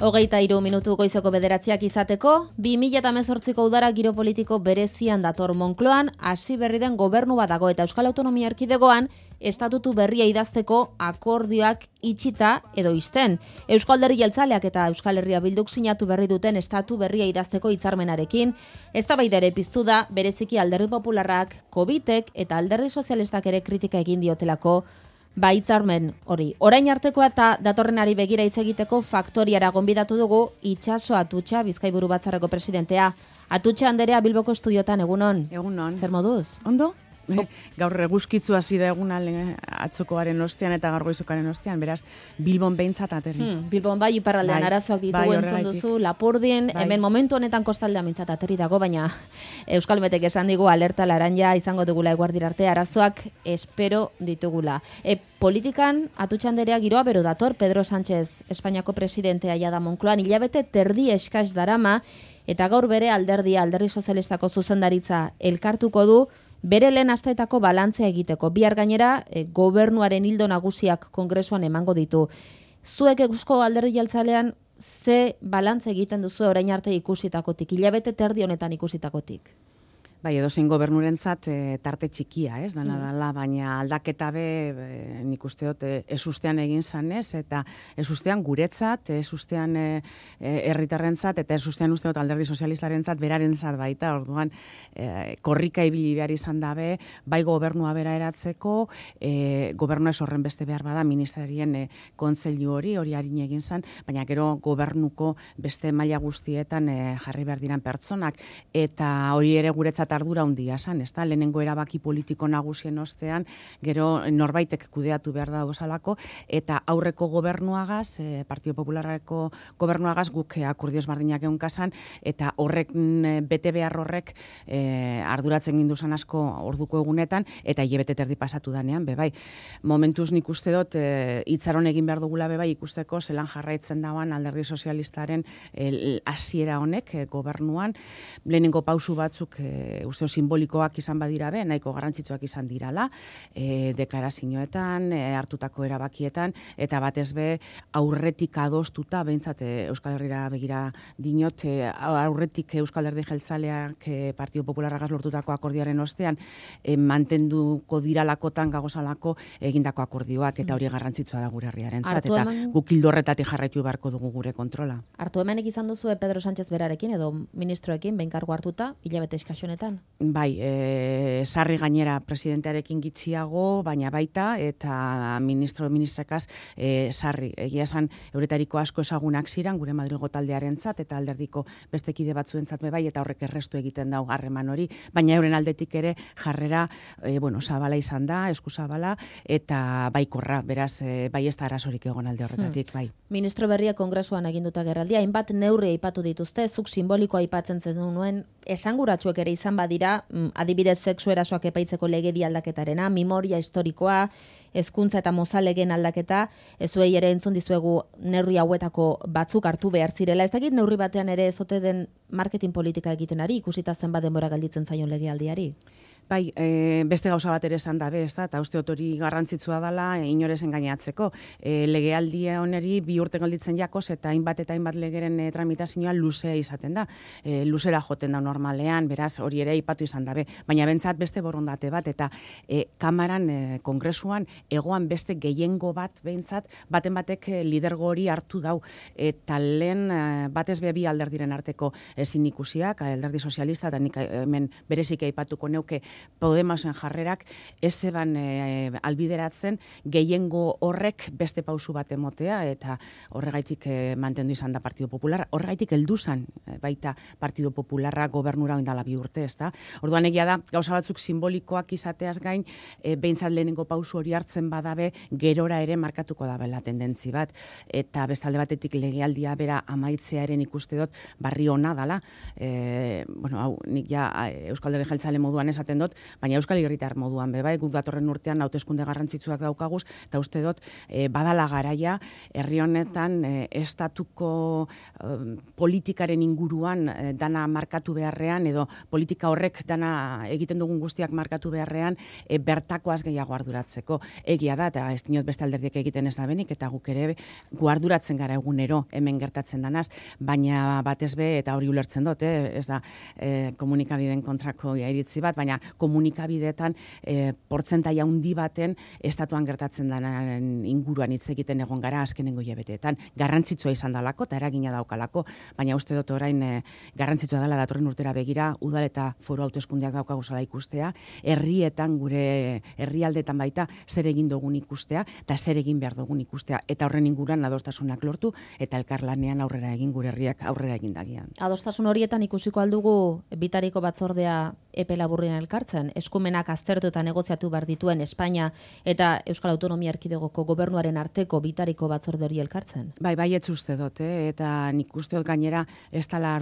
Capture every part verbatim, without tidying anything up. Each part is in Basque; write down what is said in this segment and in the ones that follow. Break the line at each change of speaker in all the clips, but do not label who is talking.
Hogeita hiru minutu goizeko bederatziak izateko, bi mila hemezortziko udara giro politiko berezian dator Moncloan, hasi berri den gobernu bat dago eta Euskal Autonomia Erkidegoan estatutu berria idazteko akordioak itxita edo ixten. Euskal Alderdi Jeltzaleak eta Euskal Herria Bilduk sinatu berri duten estatu berria idazteko hitzarmenarekin, eztabaida ere piztu da bereziki Alderdi Popularrak, Covitek eta Alderdi Sozialistak ere kritika egin diotelako ba hitzarmen hori. Orain artekoa eta datorrenari begira hitz egiteko Faktoriara gonbidatu dugu Itxaso Atutxa, Bizkaiburu Batzarreko presidentea. Atutxa anderea Bilboko estudiotan, egunon.
Egunon.
Zer moduz?
Ondo? Gaur eguzkitzu hasi da eguna atzokoaren ostean eta gaur goizokaren ostean, beraz Bilbon behintzat aterri.
Hmm, Bilbon bai iparraldean
bai,
arazoak ditugu
bai,
entzun duzu, Lapurdin,
bai.
Hemen momentu honetan kostaldean mintzat aterri dago, baina Euskal Metek esan digu alerta laranja izango dugula eguardira arte, arazoak espero ditugula. E, politikan Atutxa anderea giroa bero dator, Pedro Sánchez Espainiako presidentea jada Moncloan, hilabete terdi eskaz darama, eta gaur bere alderdia, Alderdi Sozialistako zuzendaritza elkartuko du, bere lehen asteetako balantzea egiteko. Bihar gainera, e, gobernuaren ildo nagusiak kongresuan emango ditu. Zuek Eusko Alderdi Jeltzalean ze balantze egiten duzu orain arte ikusitakotik, hilabete terdi honetan ikusitakotik?
Bai, edozein gobernurentzat e, tarte txikia, ez, dana dala, baina aldaketa be, e, nik uste dut, e, ezustean egin zanez, eta ezustean guretzat, ezustean e, e, herritarrentzat, eta ezustean uste dut Alderdi Sozialistarentzat, berarentzat baita, orduan, e, korrika ibili behar izan dabe, bai gobernua bera eratzeko, e, gobernua ez horren beste behar bada, ministerien e, kontseilu hori, hori harin egin zan, baina gero gobernuko beste maila guztietan e, jarri behar diran pertsonak, eta hori ere guretzat ardura handia san, ezta? Lehenengo erabaki politiko nagusien ostean, gero norbaitek kudeatu behar da osalako, eta aurreko gobernuagaz, eh, Partido Popularreko gobernuagaz guk eh, akordioz bardinak egun kasan, eta horrek eh, bete behar horrek eh, arduratzen ginduzan asko orduko egunetan, eta hilabete terdi pasatu danean, bebai. Momentuz nik uste dut, eh, itzaron egin behar dugula bebai ikusteko, zelan jarraitzen dagoan Alderdi Sozialistaren eh, hasiera honek eh, gobernuan, lehenengo pausu batzuk eh, uste simbolikoak izan badira be, nahiko garrantzitsuak izan dirala, e, deklarazioetan, e, hartutako erabakietan, eta batez be aurretik adostuta, behintzat e, Euskal Herrira begira dinot, e, aurretik Euskal Herri Jeltzaleak e, Partido Popularragaz lortutako akordioaren ostean, e, mantenduko diralakotan gagozalako egindako akordioak, eta hori garrantzitsua da gure herriarentzat, eta
hemen...
guk ildo-horretatik jarraitu beharko dugu gure kontrola.
Hartu hemenek izan duzu Pedro Sánchez berarekin, edo ministroekin, behin kargu hartuta, hilabete eskasionetan?
Bai, e, sarri gainera presidentearekin gitxiago, baina baita, eta ministro ministrakaz e, sarri. Egia esan, euretariko asko ezagunak ziren, gure Madrilgo taldearentzat eta alderdiko beste kide batzuentzat bai, eta horrek errestu egiten dau harreman hori, baina euren aldetik ere jarrera, e, bueno, zabala izan da, esku zabala, eta baikorra, beraz, e, bai ez da arazorik egon alde horretatik, bai.
Ministro berria kongresuan aginduta gerraldia, hainbat neurri aipatu dituzte, zuk simbolikoa aipatzen zenuen, esanguratsuek ere izan badira, adibidez sexu erasoak epaitzeko legedi aldaketarena, memoria historikoa, hezkuntza eta mozalegen aldaketa, ezuei ere entzun dizuegu neurri hauetako batzuk hartu behar zirela. Ez dakit neurri batean ere ezote den marketing politika egiten ari, ikusita zenbat denbora galditzen zaion legealdiari.
Bai, e, beste gauza bat ere esan dabe, ezta, eta uste hori garrantzitsua dela e, inorez engainatzeko. E, legealdia oneri bi urte galditzen jakoz eta hainbat eta hainbat legeren e, tramitazioa luzea izaten da. E, luzera joten da normalean, beraz hori ere aipatu izan dabe. Baina bentsat beste borondate bat, eta e, kamaran, e, kongresuan, egoan beste gehiengo bat bentsat, baten batek e, lidergo hori hartu dau. Eta lehen e, batez be bi alderdiren arteko ezin ikusiak, Alderdi Sozialista, eta nik hemen berezik aipatuko neuke Podemosen jarrerak ez eban e, albideratzen gehiengo horrek beste pausu bat emotea, eta horregaitik e, mantendu izan da Partido Popular, horregaitik heldu zan e, baita Partido Popularra gobernura oindala bi urte, ez da. Orduan egia da, gauza batzuk simbolikoak izateaz gain, e, behintzat lehenengo pausu hori hartzen badabe, gerora ere markatuko dabela tendentzi bat, eta bestalde batetik legealdia bera amaitzearen ikuste dut barri ona dala. E, bueno, hau, nik ja Euskal Herri Jeltzale moduan esaten dut, baina Euskal Herritar moduan be bai, guk datorren urtean hauteskunde garrantzitsuak daukaguz, eta uste dut e, badala garaia herri honetan e, estatuko e, politikaren inguruan e, dana markatu beharrean, edo politika horrek dana egiten dugun guztiak markatu beharrean, e, bertakoaz gehiago arduratzeko. Egia da, eta ez dinot beste alderdiek egiten ez da benik, eta guk ere guarduratzen gara egunero hemen gertatzen danaz, baina batez be, eta hori ulertzen dut, eh? Ez da eh, komunikabideen kontrako iritzi bat, baina komunikabideetan eh, portzentai handi baten estatuan gertatzen denaren inguruan hitz egiten egon gara azkenengo hilabeteetan. Garrantzitsua izan dalako, eta eragina daukalako, baina uste dut orain eh, garrantzitsua dela datorren urtera begira, udal eta foru hauteskundeak daukaguzala ikustea, herrietan gure herrialdetan baita zer egin dugun ikustea, eta zer egin behar dugun ikustea, eta horren inguruan adostasunak lortu, eta elkarlanean aurrera egin gure herriak aurrera egin dagian.
Adostasun horietan ikusiko aldugu bitariko batzordea epe laburrean elkartzen, eskumenak aztertu eta negoziatu behar dituen Espainia eta Euskal Autonomia Erkidegoko gobernuaren arteko bitariko batzorde hori elkartzen?
Bai, bai, ez uste dut, eh? Eta nik uste dut gainera ez dela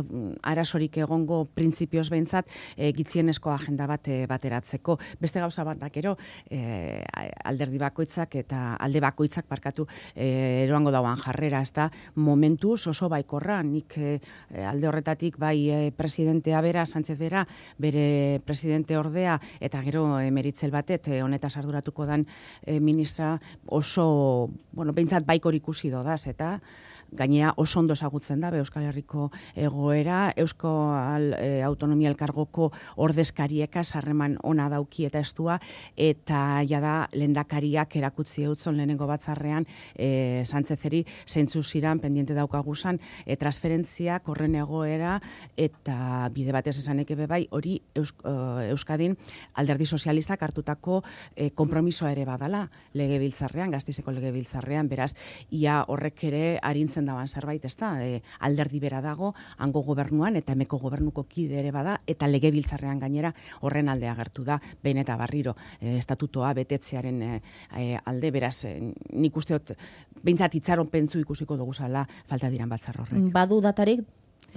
arazorik egongo printzipioz behintzat e, gitzienezko agenda bat e, bateratzeko. Beste gauza bat dakero, e, alderdi bakoitzak eta alde bakoitzak parkatu e, eroango dauan jarrera, ez da momentuz oso baikorra, nik e, alde horretatik bai e, presidentea bera, Sánchez bera, bere presidente ordea, eta gero emeritzel batet, e, honetaz arduratuko dan e, ministra oso, bueno, behintzat baikor ikusi dodaz, eta gainea oso ondo ezagutzen da, Euskal Herriko egoera, Eusko al, e, Autonomia Elkargoko ordezkarieka sarreman ona dauki eta estua, eta jada lehendakariak erakutzi eutzon lehenengo batzarrean e, Sánchezeri zeintzu ziran pendiente daukaguzan e, transferentziak horren egoera, eta bide batez esanek ebe bai, hori Eusk, uh, Euskadin alderdi sozialistak hartutako e, kompromisoa ere badala legebiltzarrean, Gazteizeko legebiltzarrean, beraz, ia horrek ere arintzen daban zerbait, ez da, e, alderdi bera dago, hango gobernuan, eta hemeko gobernuko kide ere bada, eta legebiltzarrean gainera horren alde agertu da, behin eta barriro, e, estatutoa betetzearen e, e, alde, beraz, e, nik usteot, behintzat itxaron pentsu ikusiko dugu zala falta diran batzar horrek.
Badu datarik?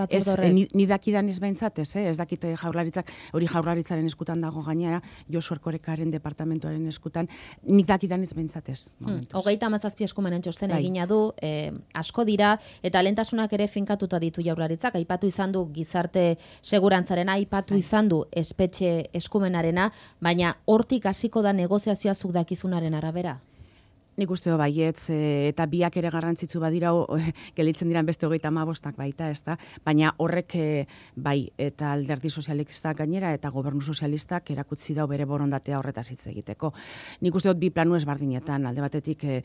Ez, ni, ni dakidan ez behintzat, ez, eh? Ez dakite jaurlaritzak, hori jaurlaritzaren eskutan dago gainera, Josu Erkorekaren departamentuaren eskutan, ni dakidan ez behintzat ez.
Hmm. Hogeita hamazazpi eskumenen txosten bai. Egina du, eh, asko dira, eta lehentasunak ere finkatuta ditu jaurlaritzak, aipatu izan du gizarte segurantzarena, aipatu bai. Izan du espetxe eskumenarena, baina hortik hasiko da negoziazioa zuk dakizunaren arabera?
Nik uste do baietz, e, eta biak ere garrantzitsu badira, o, e, gelitzen diran beste hogeita hamabostak baita, ez da? Baina horrek e, bai, eta alderdi sozialistak gainera, eta gobernu sozialistak erakutzi dau bere borondatea horretaz hitz egiteko. Nik uste dut bi planu ezberdinetan, alde batetik, e,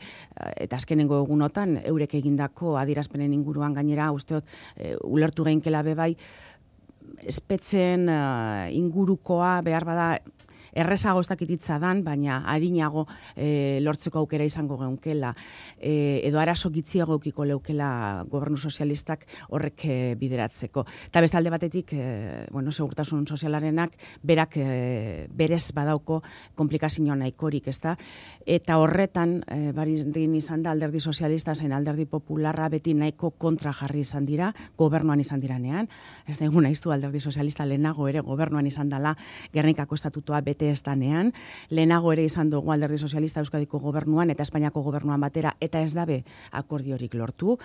eta azkenengo egunotan, eurek egindako adierazpenen inguruan gainera, uste dut, e, ulertu geinkela be bai, espetzen uh, ingurukoa behar bada, errezago ez dakititza dan, baina harinago e, lortzeko aukera izango geunkela, e, edo arazo gitziago eukiko leukela gobernu sozialistak horrek e, bideratzeko. Eta bestalde batetik, e, bueno, segurtasun sozialarenak berak e, berez badauko komplikazio nahikorik, ezta? Eta horretan, e, barin izan da alderdi sozialista zen alderdi popularra beti nahiko kontra jarri izan dira, gobernuan izan diranean. Ez da egun naiztu alderdi sozialista lehenago ere gobernuan izan dela Gernikako estatutua bete ez danean, lehenago ere izan dugu alderdi sozialista Euskadiko gobernuan eta Espainiako gobernuan batera, eta ez dabe akordiorik lortu.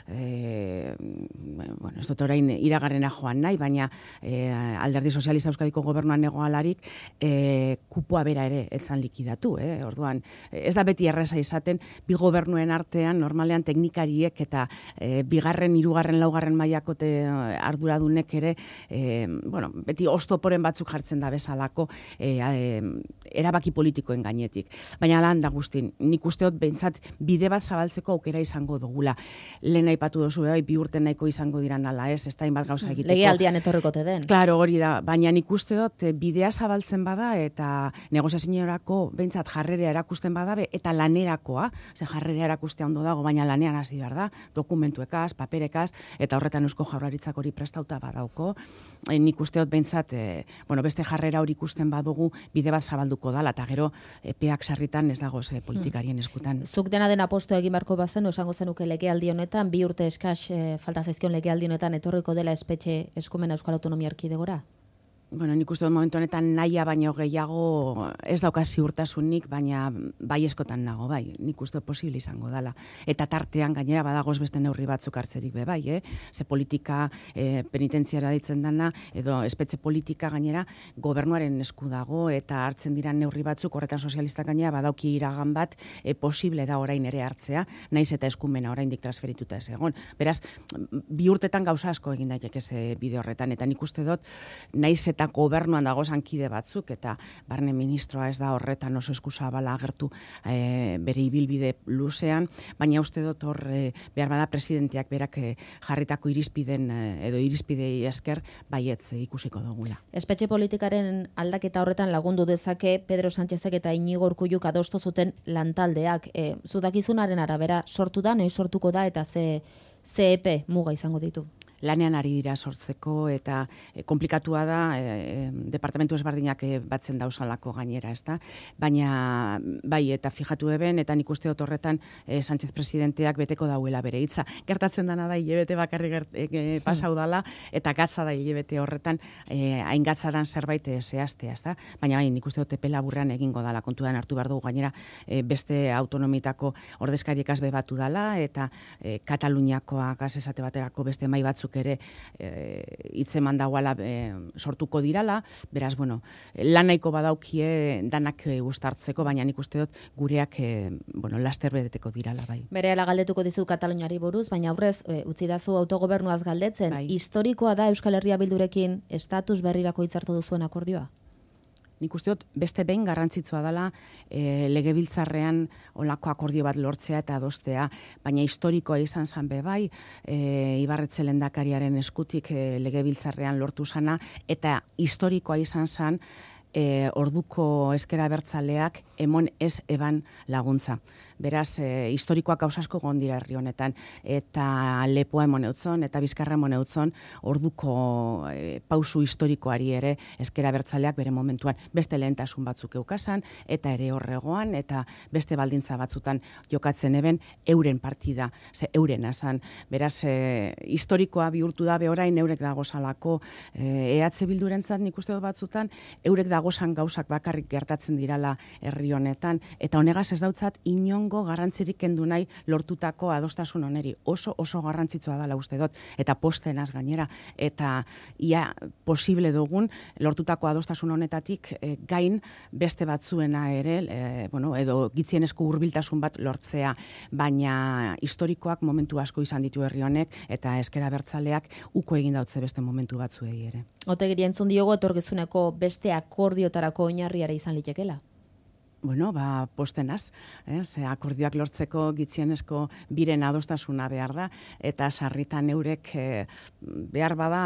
E, bueno, ez dut orain iragarrena joan nahi, baina e, alderdi sozialista Euskadiko gobernuan negoalarik e, kupoa bera ere etzan likidatu. Eh? Orduan, ez da beti erreza izaten, bi gobernuen artean, normalean teknikariek eta e, bigarren, hirugarren, laugarren mailako arduradunek ere, e, bueno, beti oztoporen batzuk jartzen da bezalako, e, E, erabaki politikoen gainetik. Baina lan da guztin, nik usteot behintzat bide bat zabaltzeko aukera izango dugula. Lehen aipatu dozu, bai, bi urte nahiko izango diran ala ez, ez da inbat gauza egiteko.
Legealdian etorrikote den.
Claro, hori da, baina nik usteot bidea zabaltzen bada eta negoziaziorako behintzat jarrerea erakusten badabe eta lanerakoa, ze jarrerea erakustea ondo dago, baina lanean hasi behar da, dokumentuekaz, paperekaz, eta horretan Eusko Jaurlaritzak hori prestauta badauko. E, nik usteot behintzat, e, bueno, beste jarrera hori ikusten badugu, bide bat zabalduko dala, eta gero epeak sarritan ez dago ze politikarien eskutan.
Zuk dena den aposto egin beharko bazen, esango zenuke legealdi honetan, bi urte eskas e, falta zaizkion legealdi honetan etorriko dela espetxe eskumena Euskal Autonomia Erkidegora?
Bueno, nik uste dut momentu honetan nahia baino gehiago ez dauka ziurtasunik, baina bai eskotan nago, bai, nik uste dut posible izango dela. Eta tartean gainera badagoz beste neurri batzuk hartzerik be bai, eh? Ze politika eh, penitentziara ditzen dana, edo espetxe politika gainera gobernuaren esku dago, eta hartzen dira neurri batzuk, horretan sozialistak gainera badauki iragan bat eh, posible da orain ere hartzea, naiz eta eskumena oraindik transferituta ez egon. Beraz, bi urtetan gauza asko egin daiteke ze bide horretan, eta nik uste dut naiz eta gobernuan dago zankide batzuk, eta barne ministroa ez da horretan oso eskuzabala agertu e, bere ibilbide luzean, baina uste dut hor e, behar bada presidenteak berak e, jarritako irizpiden e, edo irizpidei esker baietz e, ikusiko dugula.
Espetxe politikaren aldaketa horretan lagundu dezake Pedro Sánchezek eta Iñigo Urkulluk adostu zuten lantaldeak. E, zudakizunaren arabera sortu da, noiz sortuko da, eta ze, ze epe muga izango ditu?
Lanean ari dira sortzeko, eta e, komplikatua da, e, departamentu ezberdinak e, batzen dausalako gainera, ez da? Baina, bai, eta fijatu eben, eta nik uste dut horretan e, Sánchez presidenteak beteko dauela bere hitza. Gertatzen dana da, hilebete bakarri gert, e, e, pasau dala, eta gatza da hilebete horretan, e, hain gatza dan zerbait e, zehaztea, ez da? Baina, bai, nik uste dut epe laburrean egingo dala, kontuan hartu behar dugu gainera, e, beste autonomitako ordezkariekaz bebatu dala, eta e, Kataluniakoak esate baterako beste mai batzuk ere hitzeman e, dagoala e, sortuko dirala, beraz, bueno, lan nahiko badaukie danak e, uztartzeko, baina nik uste dut gureak e, bueno, laster bedeteko dirala, bai.
Berehala galdetuko dizu Kataluniari buruz, baina aurrez, e, utzi dazu autogobernuaz galdetzen, bai. Historikoa da Euskal Herria Bildurekin estatus berrirako hitzartu duzuen akordioa?
Nik uste dut beste behin garrantzitsua dela e, legebiltzarrean olako akordio bat lortzea eta adostea, baina historikoa izan zan be bai, e, Ibarretxe lehendakariaren eskutik e, legebiltzarrean lortu zana, eta historikoa izan zan e, orduko ezker abertzaleak emon ez eban laguntza. Beraz, e, historikoak gauzasko gondira herri honetan, eta lepoa emon eutzon, eta bizkarra emon eutzon, orduko e, pausu historikoari ere ezker abertzaleak bere momentuan beste lehentasun batzuk eukasan, eta ere horregoan, eta beste baldintza batzutan jokatzen eben euren partida, ze euren azan. Beraz, e, historikoa bihurtu da behorain eurek dagozalako e, E H Bildurentzat nik uste dut batzutan, eurek dagozan gauzak bakarrik gertatzen dirala herri honetan, eta honegaz ez dautzat inon garrantzirik kendu nahi lortutako adostasun oneri. Oso oso garrantzitsua dela uste dut, eta postenaz gainera, eta ia posible dugun lortutako adostasun honetatik e, gain beste batzuena ere, e, bueno, edo gitzienezko hurbiltasun bat lortzea, baina historikoak momentu asko izan ditu herri honek, eta ezker abertzaleak uko egin dautze beste momentu batzuei ere.
Otegiri entzun diogo etorkizuneko beste akordiotarako oinarriara izan litekela?
Bueno, ba, postenaz, eh? Ze akordioak lortzeko gitzienezko biren adostasuna behar da, eta sarritan eurek eh, behar bada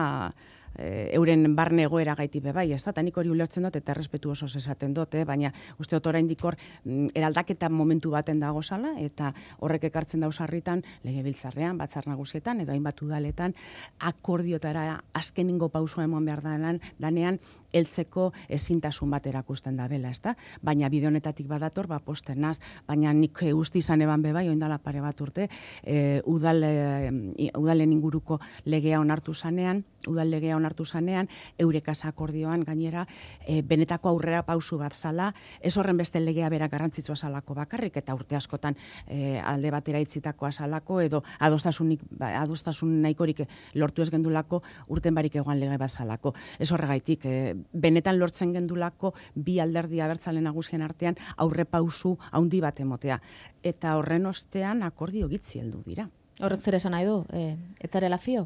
euren barne egoera gaiti be bai, ez da, eta nik hori ulertzen dut, eta errespetu oso esaten dut, eh? Baina uste dut oraindik hor eraldaketa momentu baten dago zala, eta horrek ekartzen dauz sarritan legebiltzarrean, batzar nagusietan, edo hainbat udaletan, akordiotara azkeningo pausua emon behar danean, danean, heltzeko ezintasun bat erakusten da bela, ez da? Baina bide honetatik badator, ba, postenaz, baina nik uste izan eban be bai, oindala pare bat urte, e, udal, e, udalen inguruko legea onartu zanean, udal legea onartu zanean, eurekaz akordioan gainera, e, benetako aurrera pausu bat zala, ez horren beste legea bera garrantzitsua zalako bakarrik, eta urte askotan e, alde batera itzitakoa zalako, edo adostasunik, ba, adostasun nahikorik lortu ez gendulako, urten barik egoan lege bat zalako. Ez horregaitik, e, benetan lortzen gendulako bi alderdi abertzale nagusien artean aurre pausu handi bat emotea. Eta horren ostean akordio gitzi heldu dira.
Horrek zer esan nahi du? E, ez zarela fio?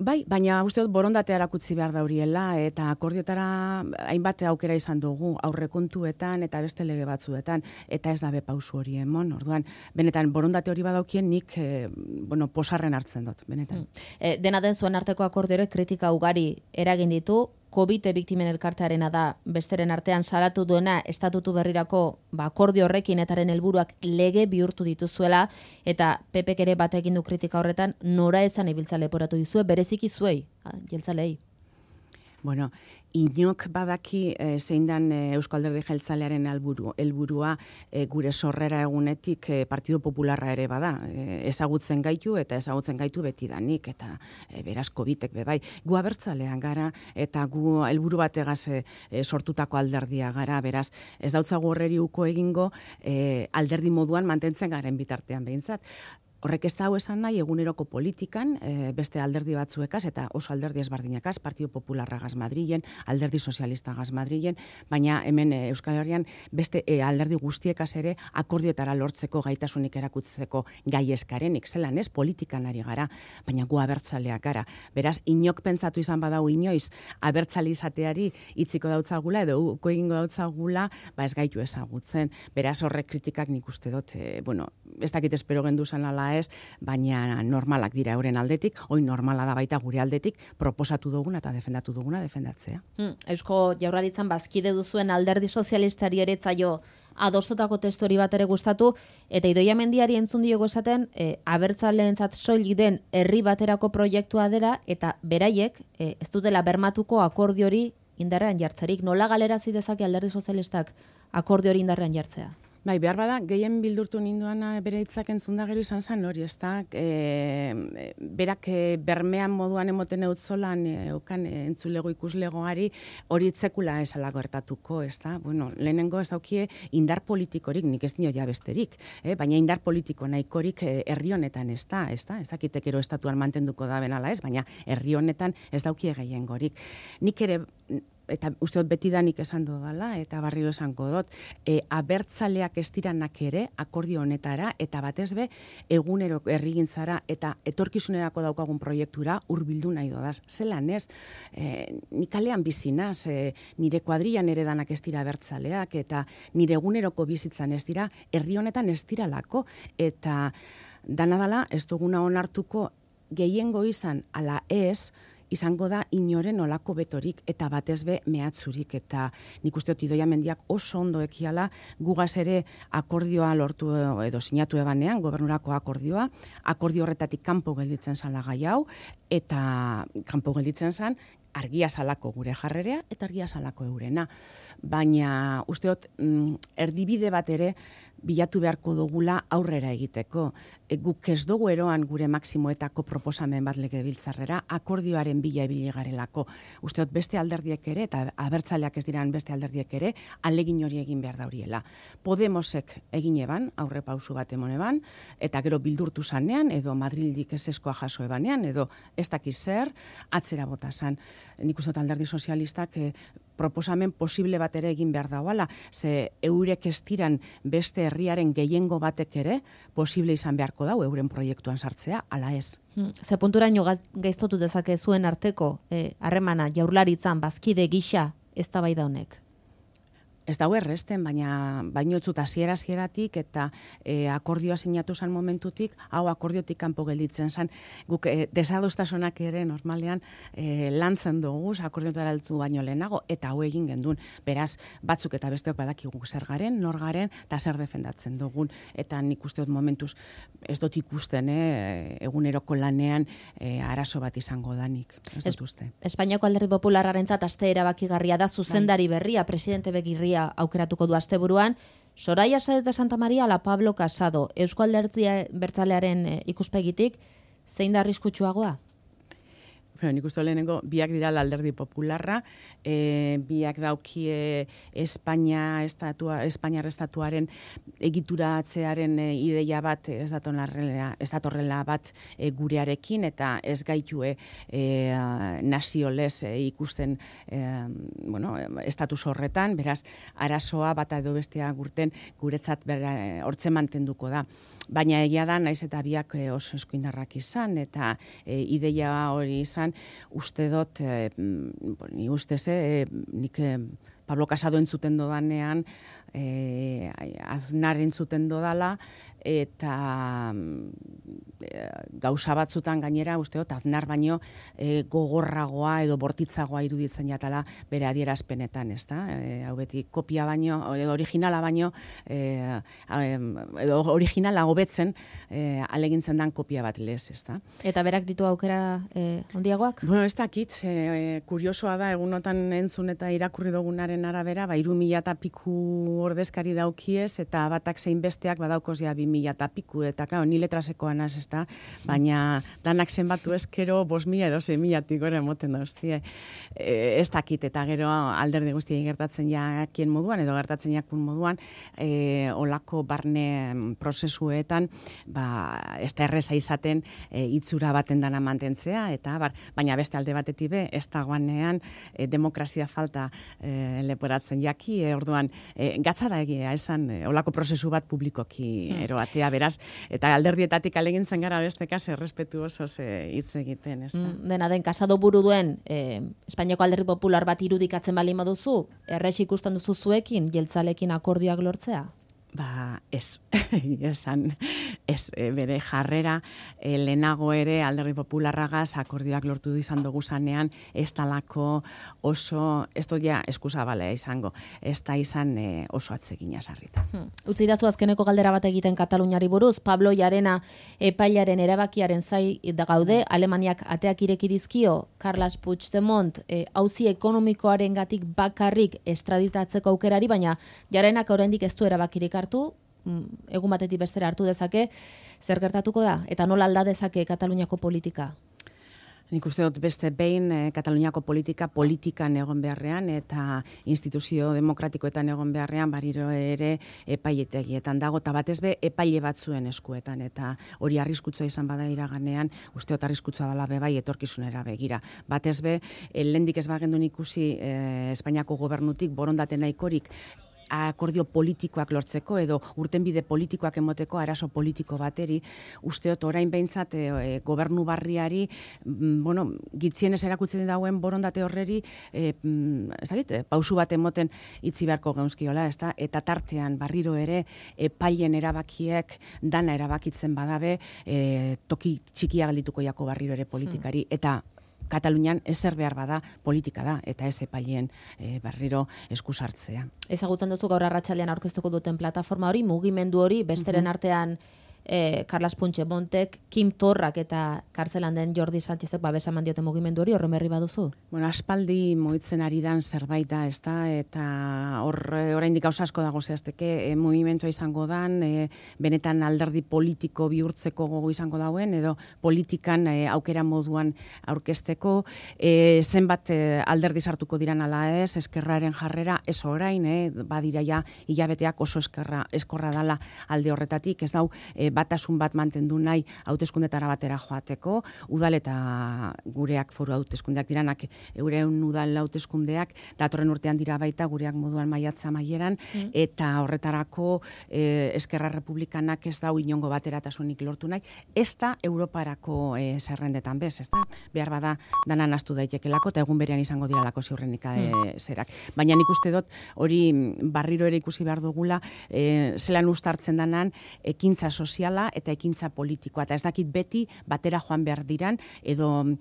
Bai, baina uste dut borondatea erakutsi behar dauriela, eta akordiotara hainbat aukera izan dugu aurrekontuetan eta beste lege batzuetan, eta ez da be pausu hori emon. Orduan, benetan borondate hori badaukien nik e, bueno, posarren hartzen dut, benetan.
Hmm. E, dena den zuen arteko akordiorek kritika ugari eragin ditu, COVID biktimen elkartearena da besteren artean salatu duena estatutu berrirako ba, akordio horrekin etaren helburuak lege bihurtu dituzuela, eta P Pk ere bat egin du kritika horretan, nora esan ibiltza leporatu dizue, bereziki zuei, jeltzalei.
Bueno, inok badaki e, zein dan e, Eusko Alderdi Jeltzalearen helburu, helburua e, gure sorrera egunetik e, Partido Popularra ere bada. E, ezagutzen gaitu eta ezagutzen gaitu betidanik eta e, beraz kobitek bebai. Gu abertzalean gara eta gu helburu bategaz e, e, sortutako alderdia gara, beraz ez dautzagu horreri uko egingo e, alderdi moduan mantentzen garen bitartean behintzat. Horrek ez da hau esan nahi eguneroko politikan, e, beste alderdi batzuekaz, eta oso alderdi ezberdinakaz, Partido Popularragaz Madrilen, alderdi sozialistagaz Madrilen, baina hemen e, Euskal Herrian beste e, alderdi guztiekaz ere akordioetara lortzeko gaitasunik erakutzeko gai eskarenik, zelan ez, politikan ari gara, baina gu abertzaleak gara. Beraz, inok pentsatu izan badau inoiz, abertzale izateari itziko dautzagula, edo uko egingo dautzagula, ba ez gaitu ezagutzen. Beraz, horrek kritikak nik uste dut, e, bueno, ez dakit espero gendu zen ala ez, baina normalak dira euren aldetik, hoi normala da baita gure aldetik, proposatu duguna eta defendatu duguna defendatzea.
Hmm, Eusko Jaurlaritzan bazkide duzuen alderdi sozialistari ere zaio adostutako testu hori bat ere gustatu, eta Idoia Mendiari entzun diogo esaten, e, abertzaleentzat soilik den herri baterako proiektua dela, eta beraiek e, ez dutela bermatuko akordio hori indarrean jartzerik. Nola galerazi dezake alderdi sozialistak akordio hori indarrean jartzea?
Bai, behar bada, gehien bildurtu ninduana bere hitzak entzun da gero izan zen hori, ez da, e, berak e, bermean moduan emoten eutzolan, e, eukan e, entzulego ikuslegoari hori itzekula esala gertatuko, ez da, bueno, lehenengo ez daukie indar politikorik, nik ez dio ja besterik, eh? Baina indar politiko nahikorik e, herri honetan ez da, ez da, ez dakitek ero estatuan mantenduko da benala ez, baina herri honetan ez daukie gehiengorik. Nik ere, eta uste dut betidanik esan dudala, eta barrio esango dut, e, abertzaleak ez diranak ere akordio honetara, eta batez be, egunero herrigintzara eta etorkizunerako daukagun proiektura hurbildu nahi dodaz. Zelan ez, e, nik kalean bizinaz, e, nire kuadrilan ere danak ez dira abertzaleak, eta nire eguneroko bizitzan ez dira, herri honetan ez diralako, eta dana dala ez duguna onartuko gehiengo izan ala ez, izango da inoren olako betorik eta batez be mehatzurik, eta nik uste dut Idoia Mendiak oso ondo ekiala gugaz ere akordioa lortu edo sinatu ebanean, gobernurako akordioa, akordio horretatik kanpo gelditzen zala gai hau, eta kanpo gelditzen zan argia salako gure jarrerea eta argia salako eurena. Baina uste dut mm, erdibide bat ere bilatu beharko dugula aurrera egiteko. E, guk ez dugu eroan gure maksimoetako proposamen bat legebiltzarrera akordioaren bila ibili garelako. Uste dut beste alderdiek ere, eta abertzaleak ez diran beste alderdiek ere, alegin hori egin behar dauriela. Podemosek egin eban, aurre pausu bat emon eban, eta gero bildurtu zanean, edo Madrildik eseskoa jaso ebanean, edo ez dakiz zer, atzera bota zan. Nik uste dut alderdi sozialistak eh, proposamen posible bat ere egin behar dauala, ze eurek ez diran beste herriaren gehiengo batek ere posible izan beharko dau euren proiektuan sartzea, ala ez.
Hmm. Ze punturaino gaiztotu dezake zuen arteko harremana eh, Jaurlaritzan bazkide gisa eztabaida honek?
Ez dago erresten, baina bainotzut hasiera hasieratik eta e, akordioa sinatu zan momentutik, hau akordiotik kanpo gelditzen zan, guk e, desadostasunak ere normalean e, lantzen dugu, akordiotara heldu baino lehenago, eta hau egin gendun. Beraz, batzuk eta besteok badakigu zer garen, nor garen, eta zer defendatzen dugun. Eta nik uste dut momentuz, ez dut ikusten, eh, eguneroko lanean e, arazo bat izango danik. Ez dut uste.
Espainiako Alderdi Popularrarentzat aste erabakigarria da, zuzendari berria, presidente begirria aukeratuko du asteburuan. Soraya Sáez de Santa María ala Pablo Casado, Eusko Alderdi Bertzalearen ikuspegitik, zein da arriskutsuagoa?
Pero nik uste lehenengo, biak dira Alderdi Popularra, e, biak daukie Espainia estatua, Espainiar estatuaren egituratzearen e, ideia bat ez datorrela bat e, gurearekin, eta ez gaitue e, naziolez e, ikusten e, bueno, estatus horretan, beraz, arazoa bata edo bestea gurten guretzat bera, hortzen mantenduko da. Baina egia da, naiz eta biak e, oso eskuindarrak izan, eta e, ideia hori izan, uste dut, e, ni ustez, e, nik e, Pablo Casado entzuten dodanean, e, Aznar entzuten dodala, eta e, gauza batzutan gainera, usteot, Aznar baino e, gogorragoa edo bortitzagoa iruditzen jatala bere adierazpenetan, ez da? E, hau beti kopia baino, edo originala baino, e, edo originala hobetzen e, alegintzen dan kopia bat lez, ez da?
Eta berak ditu aukera e, ondiagoak?
Bueno, ez dakit, e, kuriosoa da, egunotan entzun eta irakurri dugunaren arabera, ba, iru mila eta piku ordezkari daukiez, eta batak zein besteak badaukoz ja bi mila eta piku, eta kao, ni letrasekoan az, ez da? Baina danak zenbatu ezkero, bos mila edo zein milatik gore emoten da, hostia. E, ez dakit, eta gero alderdi guztiei gertatzen jakien moduan, edo gertatzen jakun moduan, e, olako barne prozesuetan, ba, ez da erreza izaten e, itzura baten dana mantentzea, eta bar, baina beste alde batetik be, ez dagoanean e, demokrazia falta e, leporatzen jaki, e, orduan, e, gatza da egia, esan, e, olako prozesu bat publikoki hmm. eroatea, beraz, eta alderdietatik alegintzen gara beste kase, errespetu oso hitz egiten, ez da.
Mm, dena den, Casado buru duen, e, Espainiako alderdi popular bat irudikatzen bali moduzu, errex ikusten duzu zuekin, jeltzalekin akordioak lortzea?
Ba, ez, esan, ez, e, bere jarrera, e, lehenago ere alderdi popularragaz akordioak lortu izan dugu zanean, ez talako oso, ez doia eskusabalea izango, ez da izan e, oso atzegina sarrita.
Hmm. Utzi dazu azkeneko galdera bat egiten Kataluniari buruz, Pablo Llarena epailaren erabakiaren zai da gaude, Alemaniak ateak ireki dizkio, Carles Puigdemont e, auzi ekonomikoaren gatik bakarrik estraditatzeko aukerari, baina Llarenak oraindik ez du erabakirik hartu, egun batetik bestera hartu dezake, zer gertatuko da? Eta nola alda dezake Kataluniako politika?
Nik uste dut beste behin eh, Kataluniako politika politikan egon beharrean eta instituzio demokratikoetan egon beharrean bariro ere epailetegietan dago, eta batez be epaile batzuen eskuetan, eta hori arriskutsua izan bada iraganean, uste dut arriskutsua dela be bai etorkizunera begira. Batez be, lendik ez bagendun ikusi eh, Espainiako gobernutik borondate nahikorik akordio politikoak lortzeko edo urtenbide politikoak emoteko arazo politiko bateri, usteot orain behintzat e, e, gobernu barriari, mm, bueno, gitzienez erakutzen dauen borondate horreri, e, mm, ez dakit, pausu bat emoten itzi beharko geunskiola, ez da? Eta tartean barriro ere epailen erabakiek dana erabakitzen badabe, e, toki txikia galdituko jako barriro ere politikari, mm. eta Katalunian ezer behar bada politika da, eta ez epaileen e, barriro eskusartzea.
Ezagutzen duzu gaur arratsaldean aurkeztuko duten plataforma hori, mugimendu hori, besteren mm-hmm. artean eh, Carles Puigdemontek, Kim Torrak eta kartzelan den Jordi Sánchezek babesa eman diote mugimendu hori, horren berri baduzu?
Bueno, aspaldi moitzen ari dan zerbait da, ez da, eta hor oraindik gauza asko dago zehazteke, e, mugimentua izango dan, e, benetan alderdi politiko bihurtzeko gogo izango dauen, edo politikan e, aukera moduan aurkezteko, e, zenbat e, alderdi sartuko diran ala ez, eskerraren jarrera, ez orain, e, badira ja hilabeteak oso eskerra, eskorra dala alde horretatik, ez dau, e, batasun bat mantendu nahi hauteskundetara batera joateko, udal eta gureak foru hauteskundeak diranak, euren udal hauteskundeak datorren urtean dira baita gureak moduan maiatza maieran, mm. eta horretarako e, Eskerra Republikanak ez dau inongo bateratasunik lortu nahi, ez da Europarako e, zerrendetan bez, ez da, behar bada danan astu daitekelako, eta egun berean izango diralako ziurrenika e, zerak. Baina nik uste dut, hori barriro ere ikusi behar dugula, e, zelan ustartzen danan, ekintza soziala eta ekintza politikoa, eta ez dakit beti batera joan behar diran, edo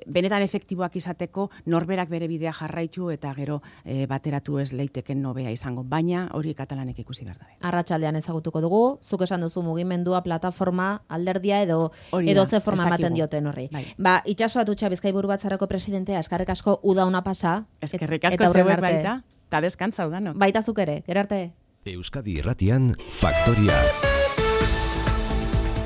benetan efektiboak izateko norberak bere bidea jarraitu eta gero e, bateratu ez leiteken nobea izango, baina hori katalanek ikusi behar dabe.
Arratsaldean ezagutuko dugu, zuk esan duzu mugimendua, plataforma, alderdia edo hori edo ze forma ematen dioten horri. Bai. Ba, Itxaso Atutxa Bizkaiburu Batzarrako presidentea, eskerrik asko uda ona pasa.
Eskerrik asko zeuek baita, eta deskantza udano.
Baita zuk ere, gero arte.
Euskadi Irratian, Faktoria.